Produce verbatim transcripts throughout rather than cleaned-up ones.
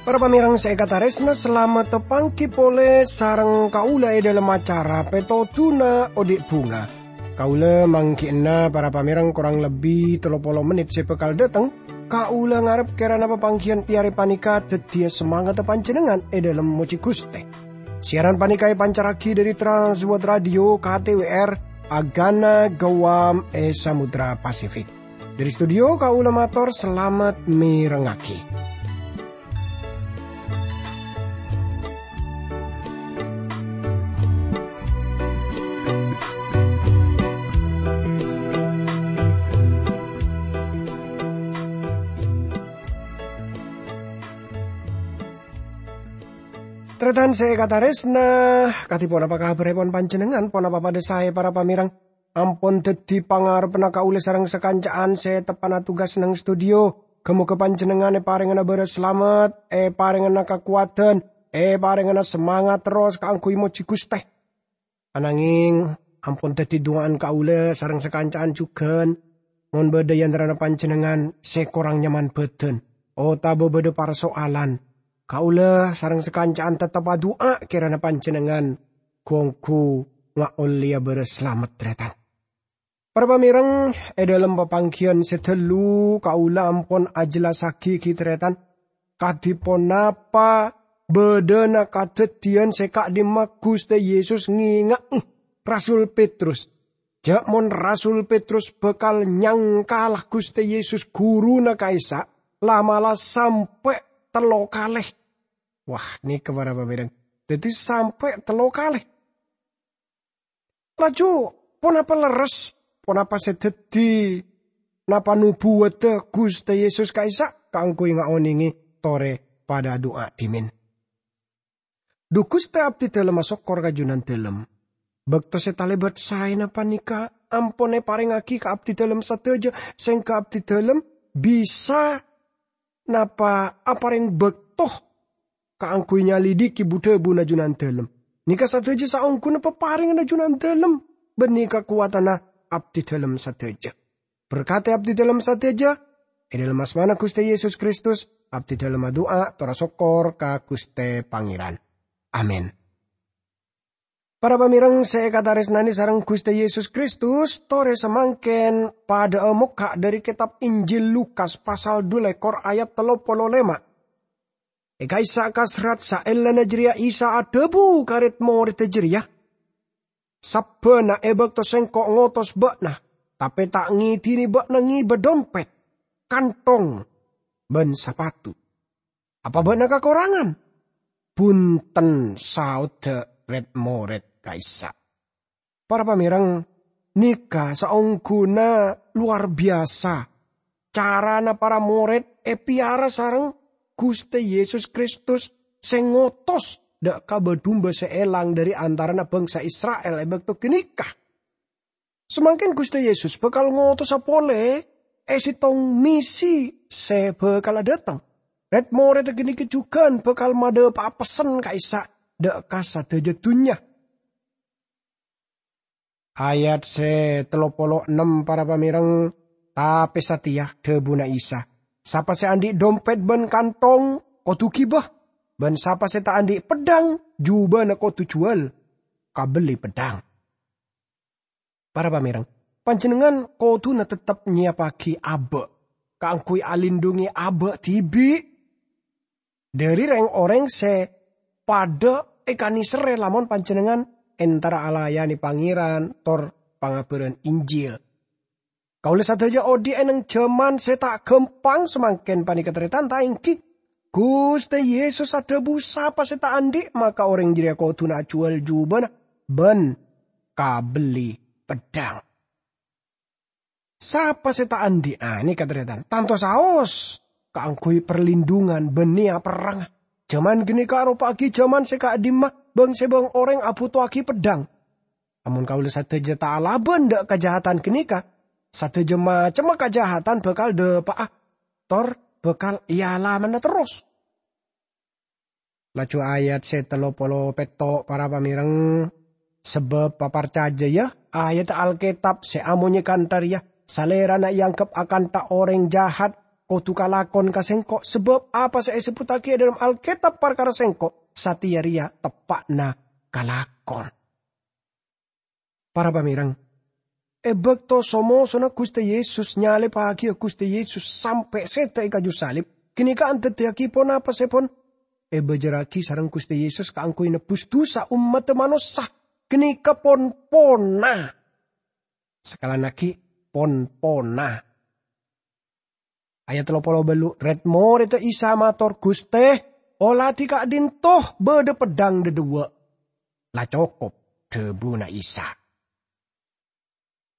Para pamèrèng sè èkatarèsna, salamet tapangghi polè sareng kaulâ è dhâlem acara Pètodhuna Odi' Bhunga. Kaulâ mangghi'na para pamèrèng korang lebbi tello polo mennit sè bhâkal dâteng. Kaulâ ngarep kèrana papangghiyân è arè panèka dhâddhiyâ samangatta panjhennengngan è dhâlem mojhi Ghustè. Siaran panèka èpancarraghi dhâri Trans World Radio K T W R, Agana Guam è Samudra Pasifik. Dhâri studio kaulâ mator salamet mèrengngaghi. Tarètan sè èkatarèsna, kadhi ponapa kabhârèpon panjhennengngan? Ponapa padhâ saè, para pamèrèng? Ampon dhâddhi pangarebbhâ kaulâ sareng sakanca'an sè teppa'na tugas neng studio. Ghâ-mogâ panjhennengngan èparèngana bârâs salamet, èparèngana kakowadhân, èparèngana samangat terros kaangghuy mojhi Ghustè. Ananging, ampon dhâddhi du'a'an kaulâ sareng sakanca'an jhughân, mon bâdâ è antarana panjhennengngan sè korang nyaman bhâdhân, otabâ bâdâ parsoalan, kaulâ sareng sakanca'an teptep adu'a kèrana panjhennengngan ghu-ongghu ngaollèya bârâs salamet, tarètan. Para pamèrèng, è dhâlem papangghiyân sè ghâllu kaulâ ampon ajhellassaghi ghi, tarètan, kadhi ponapa bâdâna kadhâddhiyân sè ka'dimma Ghustè Yesus ngènga'è Rasul Petrus. Jâ' mon Rasul Petrus bhâkal nyangkala Ghustè Yesus, ghuruna ka'issa', la'-mala' sampè' tello kalè. Wah, nèka para pamèrèng. Dhâddhi sampè' tello kalè. Laju, ponapa lerres, ponapa sè dhâddhi, napa nobuwaddhâ Ghustè Yesus ka'issa' kaangghuy ngaonèngè torè padâ adu'a dhimèn? Dhu Ghustè, abdhidhâlemma sokkor ka Jhunandhâlem. Bâkto sè talèbât saèna panèka ampon èparèngaghi ka abdhidhâlem sadhâjâ, sèngghâ abdhidhâlem bisa napa aparèng bâkto kaangghuy nyalidhiki bu-dhâbuna Jhunandhâlem. Nèka sadhâjâ saongghuna paparènganna Jhunandhâlem, bânnè kakowadhânna abdhidhâlem sadhâjâ. Berkadhi abdhidhâlem sadhâjâ, è dhâlem asmana Ghustè Yesus Kristus, abdhidhâlem adu'a tor asokkor ka Ghustè Pangèran. Amin. Para pamèrèng sè èkatarèsnanè sareng Ghustè Yesus Kristus, torè samangkèn padhâ'â mokka' dhâri kètab Injil Lukas pasal dhu lèkor ayat tello polo lèma'. È ka'issa' ka serrat saellana jârèya Isa adhâbu ka rèd-morèdda jârèya, "Sabbhâna è bâkto Sèngko' ngotos bâ'na, tapè ta' ngèdhini bâ'na ngèbâ dompèt, kanthong, bân sapatu. Apa bâ'na kakorangan?" "Bhunten," saodda rèd-morèd ka'issa'. Para pamèrèng, nèka saongghuna lowar biyasa carana para morèd èpèyara sareng Ghustè Yesus Kristus sè ngotos dâ' ka bâ-dumba sè èlang dhâri antarana bhângsa Isra'il è bâkto ghânèka. Samangkèn Ghustè Yesus bhâkal ngotosa polè è sèttong misi sè bhâkal adhâteng. Rèd-morèdda ghânèka jhughân bhâkal madhâpa'a pessen ka'issa' dâ' ka sadhâjâ dhunnya. Ayat sè tello polo ennem, para pamèrèng, tapè satèya dhâbuna Isa, "Sapa sè andi' dompèt bân kanthong, kodhu ghibâ, bân sapa sè ta' andi' peddhâng, jhubâna kodhu jhuwâl, kabelli peddhâng." Para pamèrèng, panjhennengngan kodhuna teptep nyèyappaghi abâ' kaangghuy alindhungè abâ' dhibi' dhâri rèng-orèng sè padhâ èkanèserrè lamon panjhennengngan entara alayanè Pangèran tor pangabhârân Injil. Kaulâ sadhâjâ odi' è neng jhâman sè ta' ghâmpang samangkèn panèka, tarètan, ta' èngghi? Ghustè Yesus adhâbu, "Sapa sè ta' andi', maka orèng jârèya kodhuna ajhuwâl jhubâna bân kabelli peddhâng." Sapa sè ta' andi', a, nèka, tarètan, tanto saos kaangghuy parlindhungan bân nèya perrangnga. Jhâman ghânèka aropa'aghi jhâman sè ka'dimma bâng-sèbâng orèng abhuto'aghi peddhâng. Amon kaulâ sadhâjâ ta' alabân dâ' kajahatan ghânèka, sadhâjâ macemma kajahatan bhâkal dâpa'a, tor bhâkal èalamana terros. Laju ayat sè tello polo pètto', para pamèreng. Sabâb paparcajâ, yâ, ayat Alkètab sè amonyè kantha rèya, Salèrana èangghep akantha orèng jahat, kodhu kalakon ka Sèngko', sabâb apa sè èsebbhuttaghi è dhâlem Alkètab parkara Sèngko', satèya rèya teppa'na kalakon. Para pamèreng, è bâkto so-mosona Ghustè Yesus nyalèbhâghiyâ Ghustè Yesus sampè' sèdhâ è kaju salib, ghânèka andaddiyâghi ponapa sè pon èbâjârrâghi sareng Ghustè Yesus kaangghuy nebbhus dhusa ommaddhâ manossa, ghânèka pon-ponna. Sakalèan aghi', pon-ponna. Ayat tello polo bâllu', rèd-morèdda Isa mator, "Ghustè, oladhi ka'dinto bâdâ peddhâng dhâ-, dhuwâ'." "La cokop," dhâbuna Isa.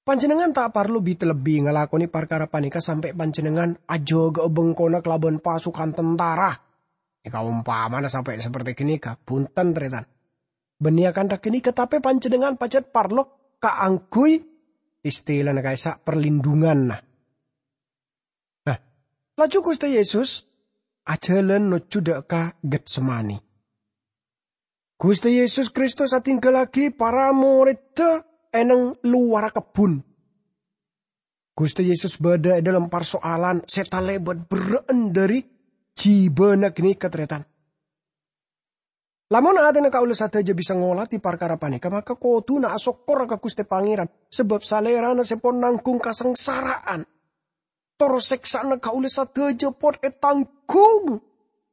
Panjhennengngan ta' parlo bit-lebbi ngalakonè parkara panèka sampè' panjhennengngan ajâgâ'â bengkona kalabân pasukan tentara. È kaompamana sampè' saperti ghânèka, bhunten, tarètan. Bânnè akantha ghânèka, tapè panjhennengngan pajhât parlo kaangghuy istilana ka'issa' perlindunganna. Nah, laju Ghustè Yesus ajhâlân nojjhu dâ' ka Getsemani. Ghustè Yesus Kristus adhinggallaghi para morèdda è neng lowarra kebbhun. Ghustè Yesus bâdâ è dhâlem parsoalan sè talèbât berrâ'ân dhâri jhibâna ghânèka, tarètan. Lamon atèna kaulâ sadhâjâ bisa ngoladhi parkara panèka, maka kodhuna asokkor ka Ghustè Pangèran, sabâb Salèrana sè pon nangghung kasangsara'an. Tor sèksa'anna kaulâ sadhâjâ pon ètangghung,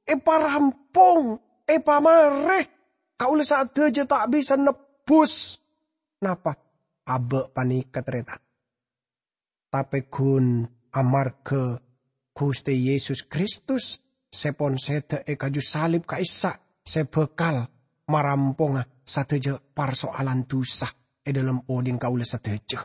èparampong, èpamarè. Kaulâ sadhâjâ ta' bisa nebbhus. Napa? Abâ' panèka, tarètan. Tapè ghun amarghâ Ghustè Yesus Kristus sè pon sèdhâ è kaju salib ka'issa' sè bhâkal maramponga sadhâjâ parsoalan dhusa è dhâlem odhi'na kaulâ sadhâjâ.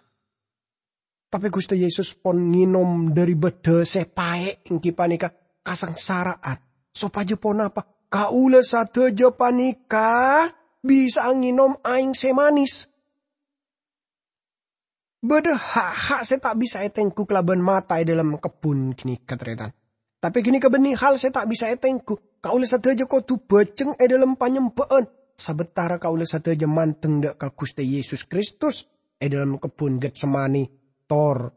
Tapè Ghustè Yesus pon ngènom dhâri bâddhâ sè paè', èngghi panèka kasangsara'an. Sopajâ ponapa? Kaulâ sadhâjâ panèka bisa'a ngènom aèng sè manis. Bâdâ ha'-ha' sè ta' bisa ètengghu kalabân mata è dhâlem kebbhun ghânèka, tarètan. Tapè ghânèka bânnè hal sè ta' bisa ètengghu. Kaulâ sadhâjâ kodhu bhâjheng è dhâlem panyembhâ'ân, sabâtara kaulâ sadhâjâ mandeng dâ' ka Ghustè Yesus Kristus è dhâlem kebbhun Getsemani, tor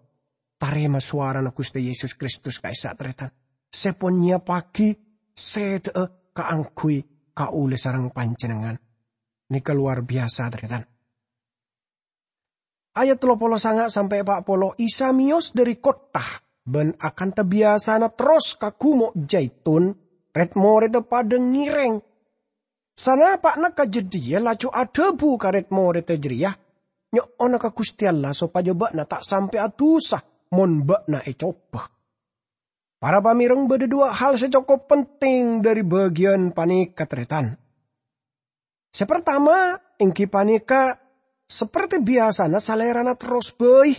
tarèma sowarana Ghustè Yesus Kristus ka'issa', tarètan, sè pon nyèyappaghi sèdhâ'â kaangghuy kaulâ sareng panjhennengngan. Nèka lowar biyasa, tarètan. Ayat tello polo sanga' sampè' pa' polo, Isa mèyos dhâri kottha, bân akantha biyasana terros ka Gumo' Jaitun, rèd-morèdda padâ ngèrèng. Sanapa'na ka jâdiyâ laju adhâbu ka rèd-morèdda jârèya, "Nyo'ona ka Ghustè Allah sopajâ bâ'na ta' sampè' adusa mon bâ'na ècoba." Para pamèreng, bâdâ duwâ' hal sè cokop penting dhâri bâgiyân panèka, tarètan. Sè partama, èngghi panèka, saperti biyasana Salèrana terros bhâi,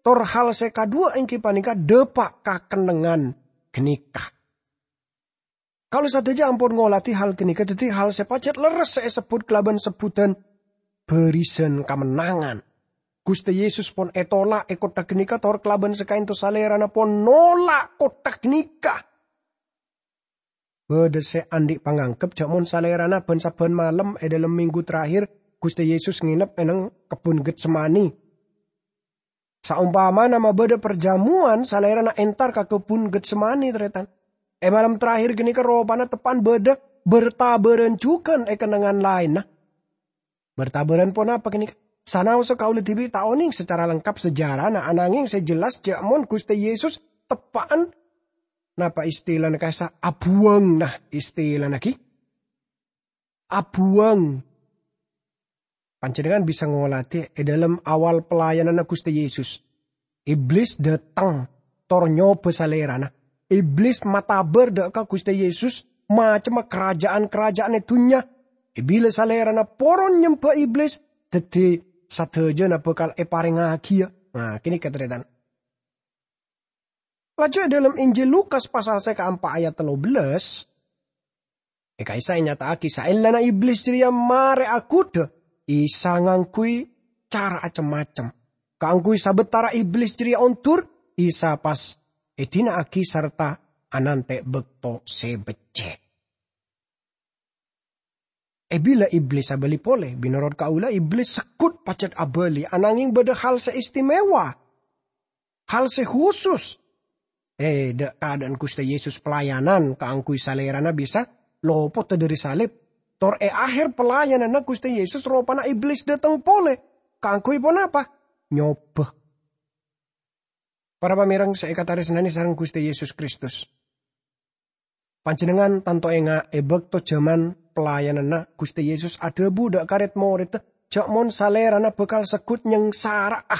tor hal sè kaduwâ èngghi panèka dâpa' ka kennengngan ghânèka. Kaulâ sadhâjâ ampon ngoladhi hal ghânèka dhâddhi hal sè pajhât lerres sè èsebbhut kalabân sebbhudhân bârisan kamennangan. Ghustè Yesus pon ètolak è kottha ghânèka tor kalabân sakaènto Salèrana pon nolak kottha ghânèka. Bâdâ sè andi' pangangghep jhâ' mon Salèrana bân-sabbhân malem è dhâlem minggu terakhir Ghustè Yesus ngènep è neng kebbhun Getsemani. Saompamana ma' bâdâ parjâmowan, Salèrana entar ka kebbhun Getsemani, tarètan. È malem terakhir ghânèka ropana teppa'an bâdâ berta-bârân jhughân è kennengngan laènna. Berta-bârân ponapa ghânèka? Sanaossa kaulâ dhibi' ta' onèng sacara lengkap sejarana, anangèng sè jelas jhâ' mon Ghustè Yesus teppa'an, napa istilana ka'issa', abuwâng, nah, istilana ghi. Abuwâng. Panjhennengngan bisa ngoladhi è dhâlem awal pelayananna Ghustè Yesus. Iblis dâteng, tor nyobâ Salèrana. Iblis matabâr dâ' ka Ghustè Yesus, macemma karaja'an-karaja'an è dhunnya. È bilâ Salèrana poron nyembhâ Iblis, dhâddhi sadhâjâna bhâkal èparèngaghiyâ. Nah, ghânèka, tarètan. Laju è dhâlem Injil Lukas pasal sè kaempa' ayat tello bellâs, è ka'issa' ènyata'aghi saellana Iblis jârèya marè aghudhâ, Isa ngangghuy cara cem-macem. Kaangghuy sabâtara Iblis jârèya ondur, Isa pas èdina'aghi sarta anantè' bâkto sè beccè'. È bilâ Iblis abâli polè, bi' norot kaulâ Iblis segghut pajhât abâli, ananghing bâdâ hal sè istimewa, hal sè husus. È, dâ', kaadâ'ân Ghustè Yesus pelayanan kaangghuy Salèrana bisa lopot dâri salib. Tor è aher pelayananna Ghustè Yesus, ropana Iblis dâteng polè. Kaangghuy ponapa? Nyobâ. Para pamèreng sè èkatarèsnanè sareng Ghustè Yesus Kristus. Panjhennengngan tanto enga' è bâkto jhâman pelayananna Ghustè Yesus adhâbu dâ' ka red-morèdda jhâ' mon Salèrana bhâkal segghut nyangsara'a.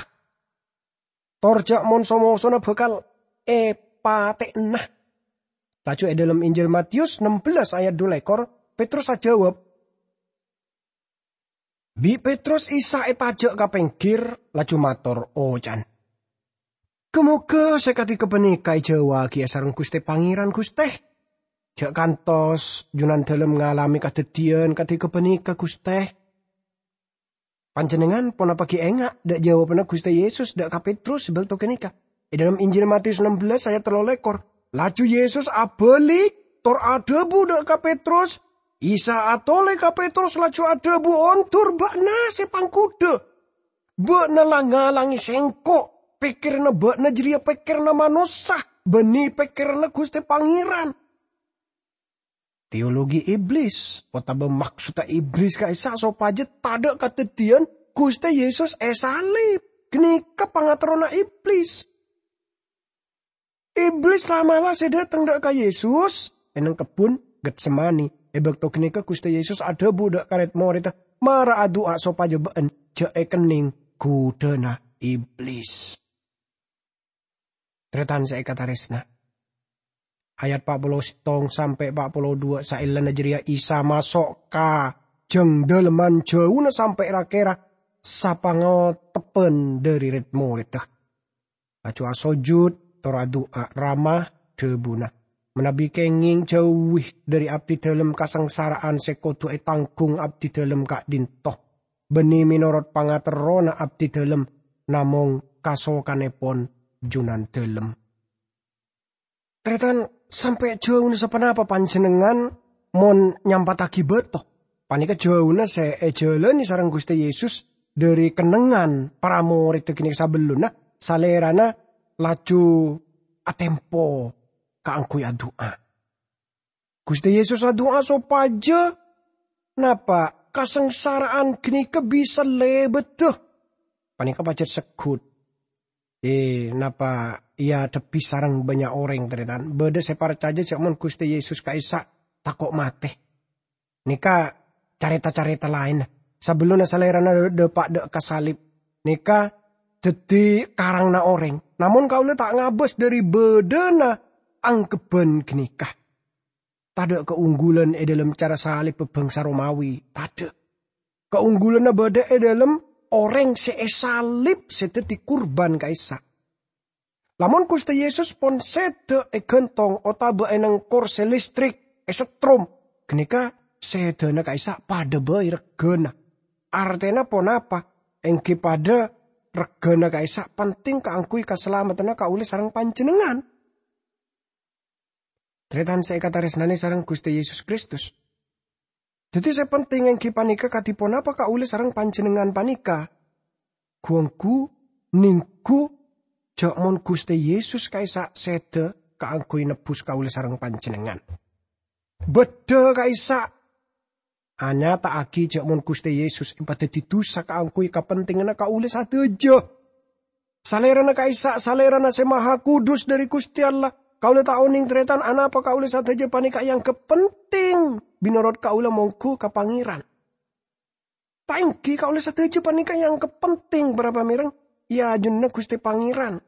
Tor jhâ' mon so-mosona bhâkal èpatè'ana. Laju è dâlem Injil Matius ennem belas ayat dhu lèkor, Petrus ajâwâb. Bi' Petrus Isa ètajhâ' ka pèngghir, laju mator oca'an, "Ghâ-mogâ sè kadhi ghâpanèka èjâwâ'aghi sareng Ghustè Pangèran, Ghustè. Jhâ' kantos Junandâlem ngalamè kadhâddhiyân kadhi ghâpanèka, Ghustè." Panjhennengngan ponapa ghi' enga' dâ' jâwâbbhânna Ghustè Yesus dâ' ka Petrus è bâkto ghânèka? È dâlem Injil Matius ennem belas ayat tello lèkor, laju Yesus abâli tor adhâbu dâ' ka Petrus, Isa atolè ka Petrus laju adhâbu, "Ondur bâ'na sè pangghudhâ! Bâ'na la-ngalangè Sèngko'! Pèkkèranna bâ'na jârèya pèkkèranna manossa, bânnè pèkkèranna Ghustè Pangèran." Teologi Iblis, otabâ maksodda Iblis ka'issa' sopajâ tadâ' kadhâddhiyân Ghustè Yesus èsalib. Ghânèka pangaterrona Iblis. Iblis la'-mala' sè dâteng dâ' ka Yesus è neng kebbhun Getsemani. È bâkto ghânèka Ghustè Yesus adhâbu dâ' ka red-morèdda, "Mara adu'a sopajâ bâ'en jhâ' èkennèng ghudhâna Iblis." Tarètan sè èkatarèsna. Ayat pa' polo sèttong sampè' pa' polo duwâ', saellana jârèya Isa maso' ka jhâng dâlemman jhâuna sampè' ra-kèra sapangotebbhân dâri red-morèdda. Laju asojud, tor adu'a, "Rama," dhâbuna, "manabi kèngèng jhâuwi dâri abdidâlem kasangsara'an sè kodhu ètangghung abdidâlem ka'dinto, bânnè mènorot pangaterrona abdidâlem, namong kasokanèpon Junandâlem." Tarètan, sampè' jhâuna saponapa panjhennengngan mon nyampa'aghi bâto? Panèka jhâuna sè èjhâlânè sareng Ghustè Yesus dâri kennengngan para morèdda ghânèka sabellunna Salèrana laju atèmpo kaangghuy adu'a. Ghustè Yesus adu'a sopajâ napa kasangsara'an ghânèka bisa lèbâdhâ. Panèka pajhât segghut. Eh, napa èadhebbhi sareng bânnya' orèng, tarètan? Bâdâ sè parcajâ jhâ' mon Ghustè Yesus ka'issa' tako' matè. Nèka carèta-carèta laènna. Sabellunna Salèrana dâpa' dâ' ka salib, nèka dhâddhi karangnga orèng. Namong kaulâ ta' ngabâs dâri bâdâna angkebbhân ghânèka. Tadâ' kaongghulan è dâlem cara salib bhâbhângsa Romawi. Tadâ'. Kaongghulanna bâdâ è dâlem orèng sè èsalib sè dhâddhi kurban ka'issa'. Lamon Ghustè Yesus pon sèdhâ èghântong otabâ è neng korsè listrik, èsetrom, ghânèka sèdhâna ka'issa' padâ bhâi regghâna. Artèna ponapa? Èngghi padâ regghâna ka'issa' penting kaangghuy kasalameddhânna kaulâ sareng panjhennengngan. Tarètan sè èkatarèsnanè sareng Ghustè Yesus Kristus. Dhâddhi sè penting èngghi panèka kadhi ponapa kaulâ sareng panjhennengngan panèka? Ghu-ongghu nèngghu jhâ' mon Ghustè Yesus ka'issa' sèdhâ kaangghuy nebbhus kaulâ sareng panjhennengngan. Bâdâ ka'issa' anyata'aghi jhâ' mon Ghustè Yesus èpadhâddhi dhusa kaangghuy kapentinganna kaulâ sadhâjâ. Salèrana ka'issa', Salèrana sè Maha Kudus dâri Ghustè Allah. Kaulâ ta' onèng, tarètan, anapa kaulâ sadhâjâ panèka èangghep penting. Mènorot kaulâ mongghu ka Pangèran. Ta' èngghi kaulâ sadhâjâ panèka èangghep penting, para pamèreng, è ajunanna Ghustè Pangèran.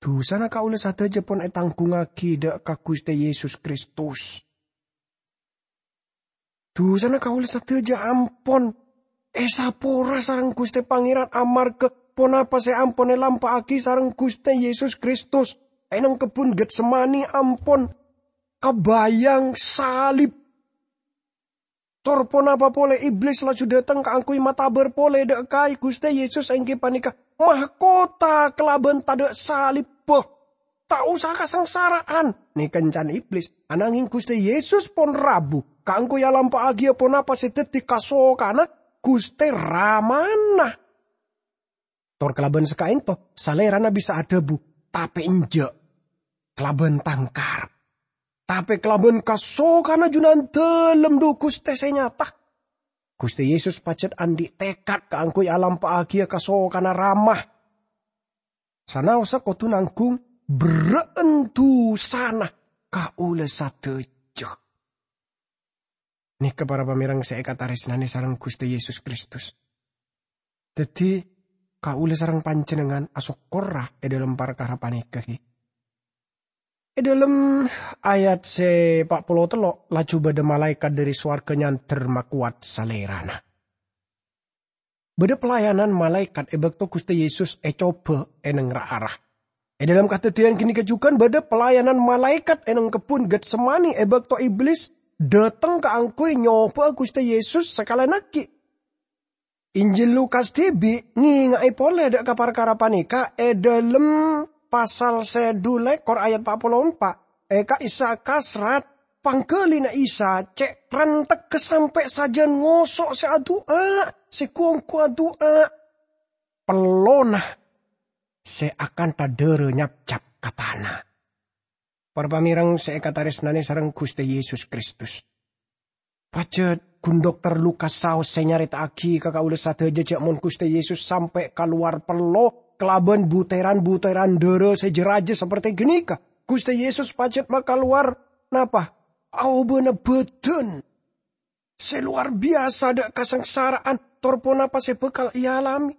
Dhusana kaulâ sadhâjâ pon ètangghungngaghi dâ' ka Ghustè Yesus Kristus. Dhusana kaulâ sadhâjâ ampon èsapora sareng Ghustè Pangèran amarghâ ponapa sè ampon èlampa'aghi sareng Ghustè Yesus Kristus è neng kebbhun Getsemani ampon kabâjâng salib. Tor ponapa polè Iblis laju dâteng kaangghuy matabâr polè dâ' ka Ghustè Yesus èngghi panèka mahkota kalabân tadâ' salibbhâ. Ta' osa kasangsara'an." Nèka can Iblis. Ananging Ghustè Yesus pon rabu kaangghuy alampa'aghiyâ ponapa sè dhâddhi kasokanna Ghustè Ramana. Tor kalabân saka'ènto, Salèrana bisa adhâbu, "Tapè enjâ' kalabân tang karep, tapè kalabân kasokanna Junandâlem, dhu Ghustè sè nyata." Ghustè Yesus pajhât andi' tekad kaangghuy alampa'aghiyâ kasokanna Rama. Sanaossa kodhu nangghung berrâ'ân dusana kaulâ sadhâjâ. Nèka para pamèreng sè èkatarèsnanè sareng Ghustè Yesus Kristus. Dhâddhi, kaulâ sareng panjhennengngan asokkorra è dhâlem parkara panèka, ghi. È dhâlem ayat sè pa' polo tello', laju bâdâ malaèkat dhâri sowarghâ nyandher makowat Salèrana. Bâdâ pelayanan malaèkat è bâkto Ghustè Yesus ècobâ è neng ra-ara. È dhâlem kadhâddhiyân ghânèka jhughân bâdâ pelayanan malaèkat è neng kebbhun Getsemani è bâkto Iblis dhâteng kaangghuy nyobâ'â Ghustè Yesus sakalèyan aghi'. Injil Lukas dhibi' ngènga'è polè dâ' ka parkara panèka è dhâlem pasal sè dhu lèkor ayat pa' polo empa'. È ka'issa' kasrat, pangghâlina Isa cè' rantegghâ sampè' sajân ngoso' sè adu'a, sè ghu-ongghu adu'a. Pellona sè akantha dhârâ nyapcap ka tana. Para pamèreng sè èkatarèsnanè sareng Ghustè Yesus Kristus. Pajhât ghun Dokter Lukas saos sè nyarèta'aghi ka kaulâ sadhâjâ jhâ' mon Ghustè Yesus sampè' kalowar pello kalabân butèran-butèran dhârâ sè jâ-rajâ sapertè ghânèka. Ghustè Yesus pajhât makalowar napa? Aobâna bhâdhân sè lowar biyasa dâ' kasangsara'an, tor ponapa sè bhâkal èalamè.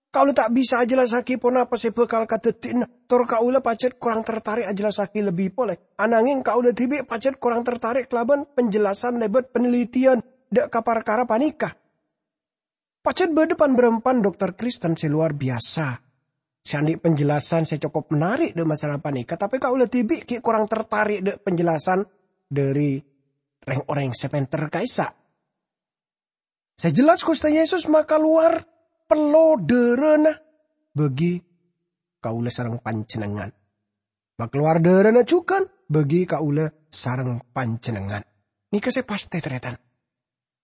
Kaulâ ta' bisa ajhellassaghi ponapa sè bhâkal kadhâddhiyânna, tor kaulâ pajhât korang tartarè' ajhellassaghi lebbi polè. Ananging kaulâ dhibi' pajhât korang tartarè' kalabân penjelasan lèbât panelitèyan dâ' ka parkara panèka. Pajhât bâdâ pan-bârâmpan dokter Kristen sè lowar biyasa, sè andi' penjelasan sè cokop menarik dâ' masalah panèka, tapè kaulâ dhibi' ghi' korang tartarè' dâ' penjelasan dhâri rèng-orèng sè pènter ka'issa'. Sè jelas, Ghustè Yesus makalowar pello dhârâna bâgi kaulâ sareng panjhennengngan. Makalowar dhârâna jhughân bâgi kaulâ sareng panjhennengngan. Nèka sè pastè, tarètan.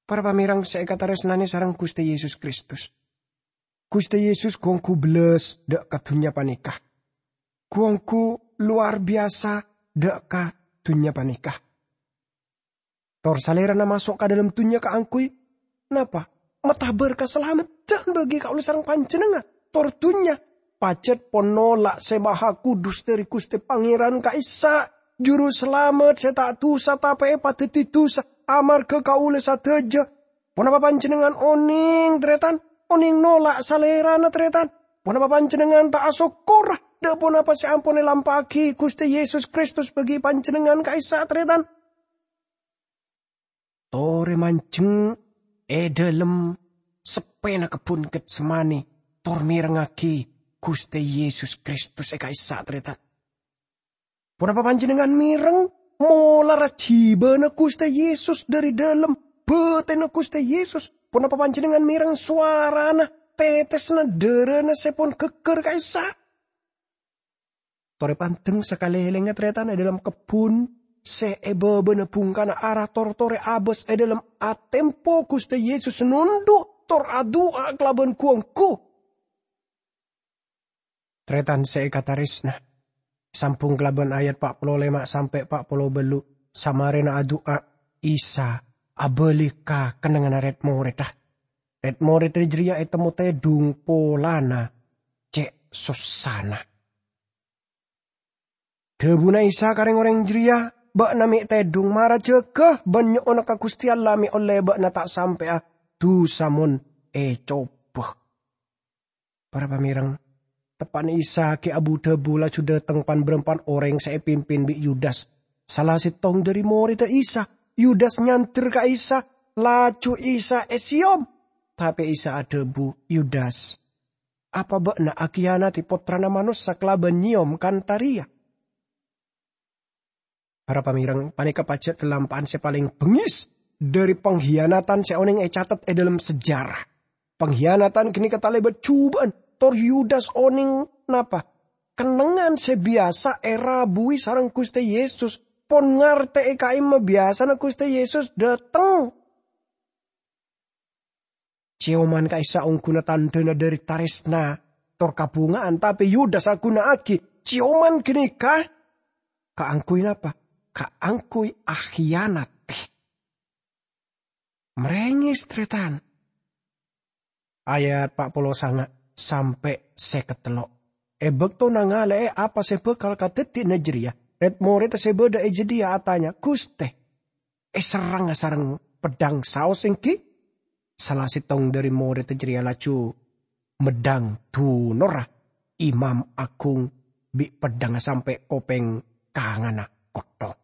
Para pamèreng sè èkatarèsnanè sareng Ghustè Yesus Kristus. Ghustè Yesus ghu-ongghu bellas dâ' ka dhunnya panèka. Ghu-ongghu lowar biyasa dâ' ka dhunnya panèka. Tor Salèrana maso' ka dhâlem dhunnya kaangghuy napa? Matabâr kasalameddhân bâgi kaulâ sareng panjhennengngan. Tor dhunnya pajhât pon nola' Sè Mahakudus dhâri Ghustè Pangèran ka'issa', Juru Salamet sè ta' dusa tapè èpadhâddhi dusa amarghâ kaulâ sadhâjâ. Ponapa panjhennengngan onèng, tarètan? Onèng nola' Salèrana, tarètan? Ponapa panjhennengngan ta' asokkora dâ' ponapa sè ampon èlampa'aghi Ghustè Yesus Kristus bâgi panjhennengngan ka'issa', tarètan? Torè manjheng è dhâlem seppèna kebbhun Getsemani, tor mèrengngaghi Ghustè Yesus Kristus è ka'issa', tarètan. Ponapa panjhennengngan mèreng molarra jhibâna Ghustè Yesus dhâri dhâlem bâtènna Ghustè Yesus? Ponapa panjhennengngan mèreng sowarana, tètèsna dhârâna sè pon ghâgghâr ka'issa'? Torè pandeng sakalèlèngnga, tarètan, è dhâlem kebbhun sè è bâbâna bhungkana ara, tor torè abâs è dhâlem atempo Ghustè Yesus nondhu' tor adu'a kalabân ghu-ongghu. Tarètan sè èkatarèsna, sambhung kalabân ayat pa' polo lèma' sampè' pa' polo bâllu', samarèna adu'a, Isa abâli ka kennengnganna rèd-morèdda. Rèd-morèdda jârèya ètemmo tèdhung polana cè' sossana. Dhâbuna Isa ka rèng-orèng jârèya, "Bâ'na mè' tèdhung, mara jâgâ bân nyo'ona ka Ghustè Allah mè' ollè bâ'na ta' sampè'a dusa mon ècobâ." Para pamèreng, teppa'na Isa ghi' abu-dhâbu laju dhâteng pan-bârâmpan orèng sè èpimpin bi' Yudas, sala sèttong dhâri morèdda Isa. Yudas nyandher ka Isa, laju Isa èsèyom. Tapè Isa adhâbu, "Yudas, apa bâ'na akiyanadhi Pottrana Manossa kalabân nyèyom kantha rèya?" Para pamèreng, panèka pajhât lalampa'an sè palèng bengngès dhâri panghiyanatan sè onèng ècatet è dhâlem sejarah. Panghiyanatan ghânèka talèbât jhubâ'ân, tor Yudas onèng napa? kennengngan sè biyasa èrabuwi sareng Ghustè Yesus, pon ngartè'è ka'imma biyasana Ghustè Yesus dâteng. Cèyoman ka'issa' ongghuna tandhâna dhâri tarèsna tor kabhunga'an, tapè Yudas aghuna'aghi cèyoman ghânèka kaangghuy napa? Kaangghuy akhiyanat. Marèngès, tarètan. Ayat pa' polo sanga' sampè' sèket tello'. È bâkto nangalè'è apa sè bhâkal kadhâddhiyâna jârèya, rèd-morèdda sè bâdâ è jâdiyâ atanya, "Ghustè, èserrangnga sareng peddhâng saos èngghi?" Sala sèttong dhâri morèdda jârèya laju meddhâng dunorra imam aghung bi' peddhângnga sampè' kopèng kanganna kotthong.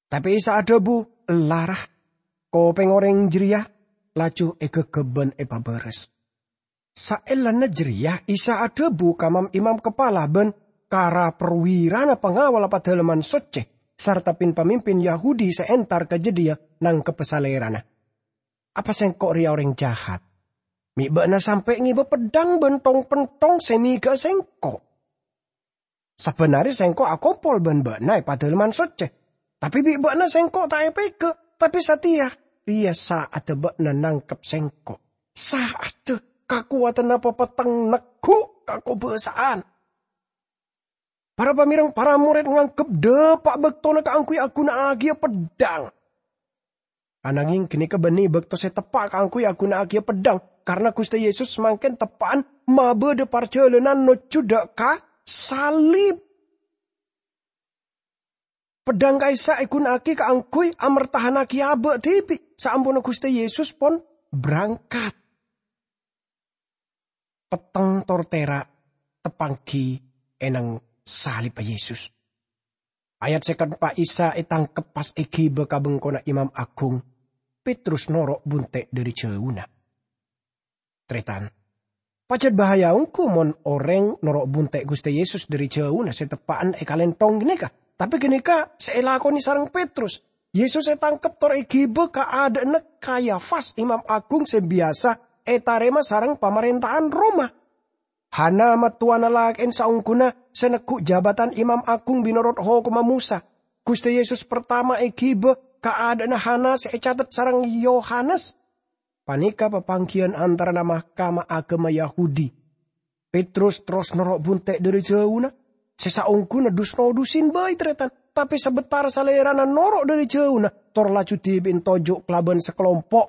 Tapè Isa adhâbu, "Ella, ra." Kopèng orèng jârèya laju èghâghâb bân èpabârâs. Saellana jârèya Isa adhâbu ka mam-imam kapala bân ka ra-, parwirana pangawalla Padalemman Soccè, sarta pin-pamimpin Yahudi sè entar ka jâdiyâ nangkebbhâ Salèrana. "Apa Sèngko' rèya orèng jahat? Mè' bâ'na sampè' ngèbâ peddhâng bân tong-pentong sè mèghâ'â Sèngko'? Sabbhân arè Sèngko' akompol bân bâ'na è Padalemman Soccè. Tapè bi' bâ'na Sèngko' ta' èpèghâ', tapè satèya rèya sa'adda bâ'na nangkep Sèngko'. Sa'adda kakowadhânna papetteng neggu' kakobâsa'an." Para pamèreng, para morèd nganggep dâpa' bâktona kaangghuy aghuna'aghiyâ peddhâng. Ananghing ghânèka bânnè bâkto sè teppa' kaangghuy aghuna'aghiyâ peddhâng, karna Ghustè Yesus mangkèn teppa'an mabâdâ parjhâlânan nojjhu dâ' ka salib. Peddhâng ka'issa' èghuna'aghi kaangghuy amertahannaghi abâ' dhibi' saamponna Ghustè Yesus pon berangkat. Petteng tor tèra' teppangghi è neng salibbhâ Yesus. Ayat sèket empa', Isa ètangkep pas èghibâ ka bengkona imam aghung. Petrus noro' bunte' dhâri jhâuna. Tarètan, pajhât bahaya ongghu mon orèng noro' bunte' Ghustè Yesus dhâri jhâuna sè teppa'an è kalènthong ghânèka. Tapè ghânèka sè èlakonè sareng Petrus. Yesus ètangkep tor èghibâ ka adâ'na Kayafas, imam aghung sè biyasa ètarèma sareng pamarènta'an Roma. Hana, mattowana lakè'en saongghuna sè neggu' jabatan imam aghung bi' norot hokomma Mosa. Ghustè Yesus partama èghibâ ka adâ'na Hana sè ècatet sareng Yohanes. Panèka papangghiyân antarana mahkamah aghâma Yahudi. Petrus terros noro' bunte' dhâri jhâuna, sè saongghuna dus-nodusin bhâi, tarètan. Tapè sabâtara salèrana noro' dhâri jhâuna, tor laju dhibi'en toju' kalabân sakalompo'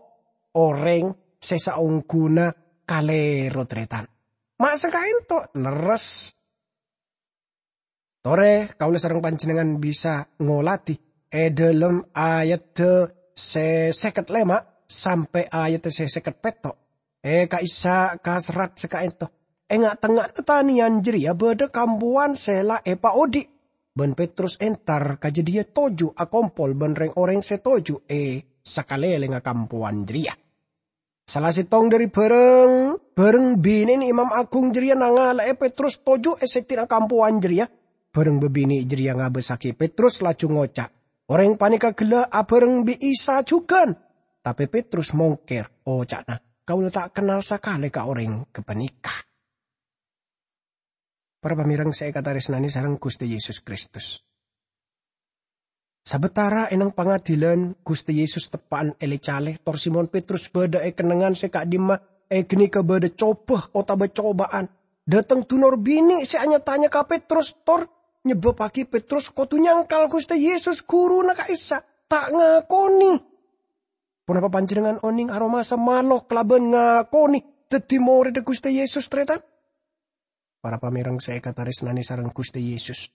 orèng sè saongghuna kalèro, tarètan. Ma' sakaènto, lerres. Torè kaulâ sareng panjhennengngan bisa ngolatè è dhâlem ayadda sè sèket lèma' sampè' ayadda sè sèket pètto'. È ka'issa' ka serrat sakaènto, è nga'-tengnga'anna tanèyan jârèya bâdâ kampowan sè la èpaodhi', bân Petrus entar ka jâdiyâ toju' akompol bân rèng-orèng sè toju' è sakalèlèngnga kampowan jârèya. Sala sèttong dhâri bhâreng, bhâreng binè'na imam aghung jârèya nangala'è Petrus toju' è sèddhina kampowan jârèya. Bhâreng bâbinè' jârèya ngabâssaghi Petrus laju ngoca', "Orèng panèka ghellâ' abhâreng bi' Isa jhughân." Tapè Petrus mongkèr, oca'na, "Kaulâ ta' kennal sakalè ka orèng ghâpanèka." Para pamèreng sè èkatarèsnanè sareng Ghustè Yesus Kristus. Sabâtara è neng pangadilan, Ghustè Yesus teppa'an èlè-calè, tor Simon Petrus bâdâ è kennengngan sè ka'dimma, è ghânèka bâdâ cobâ otabâ cobâ'ân. Dâteng dunor binè' sè anya-tanya ka Petrus, tor nyebbhâbbhâghi Petrus kodhu nyangkal Ghustè Yesus, Ghuruna ka'issa', ta' ngakonè. Ponapa panjhennengngan onèng Aromasa malo kalabân ngakonè dhâddhi morèdda Ghustè Yesus, tarètan? Para pamèreng sè èkatarèsnanè sareng Ghustè Yesus.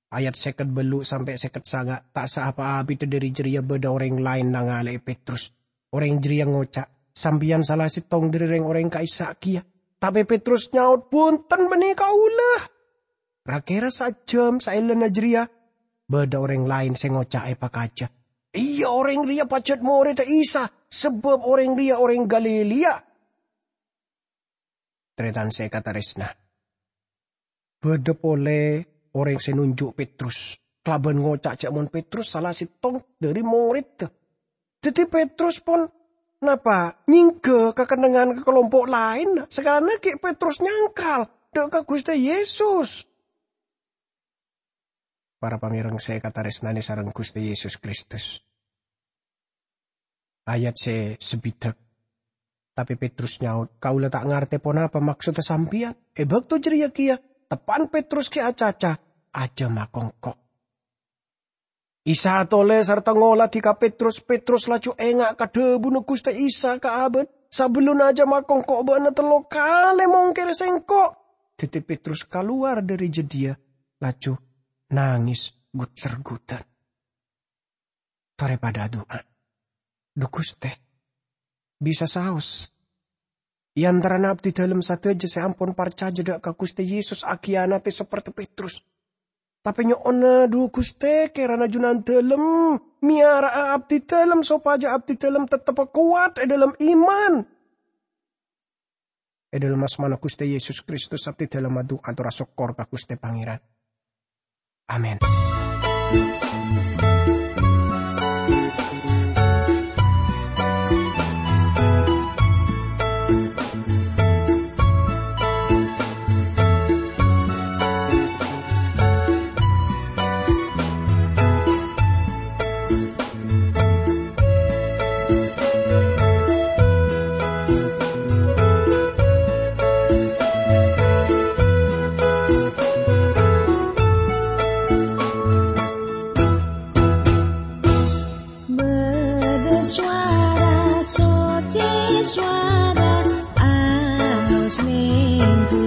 Ayat sèket bâllu' sampè' sèket sanga' ta' saapa abidhâ dhâri jârèya bâdâ orèng laèn nangala'è Petrus. Orèng jârèya ngoca', "Sampèyan sala sèttong dhâri rèng-orèng ka'issa' kèya." Tapè Petrus nyaot, "Bhunten, bânnè kaulâ." Ra-kèra sajâm saellana jârèya, bâdâ orèng laèn sè ngoca' èpakajâ, "Iyâ, orèng rèya pajhât morèdda Isa, sabâb orèng rèya orèng Galilea." Tarètan sè èkatarèsna. Bâdâ polè orèng sè nonjhu' Petrus, kalabân ngoca' jâ' mon Petrus sala sèttong dhâri morèdda. Dhâddhi Petrus pon napa nyèngghâ ka kennengngan ka kalompo' laènna, sakalana ghi' Petrus nyangkal dâ' ka Ghustè Yesus. Para pamèrèng sè èkatarèsnanè sareng Ghustè Yesus Kristus. Ayat sè sabidhâk. Tapè Petrus nyaot, "Kaulâ ta' ngartè ponapa maksodda sampèyan." È bâkto jârèya kèya, teppa'na Petrus ghi' acaca, "Ajâm akongko'." Isa atolè sarta ngoladhi ka Petrus. Petrus laju enga' ka dhâbuna Ghustè Isa ka abâ'na, "Sabellunna ajâm akongko' bâ'na tello kalè mongkèrè Sèngko'." Dhâddhi Petrus kalowar dâri jâdiyâ, laju nangès gut-sergutan. Torè padâ adu'a. "Dhu Ghustè, bisa saos. È antarana abdidhâlem sadhâjâ sè ampon parcajâ dâ' ka Ghustè Yesus akhiyanatè saperte Petrus. Tapè nyo'ona, dhu Ghustè, kèrana Junandhâlem mèyara'a abdidhâlem sopajâ abdidhâlem tetteppa kowat è dhâlem iman." È dhâlem asmana Ghustè Yesus Kristus, abdidhâlem adu'a atorra sokkor ka Ghustè Pangèran. Amin. Bâdâ sowara soccè, sowara alos neng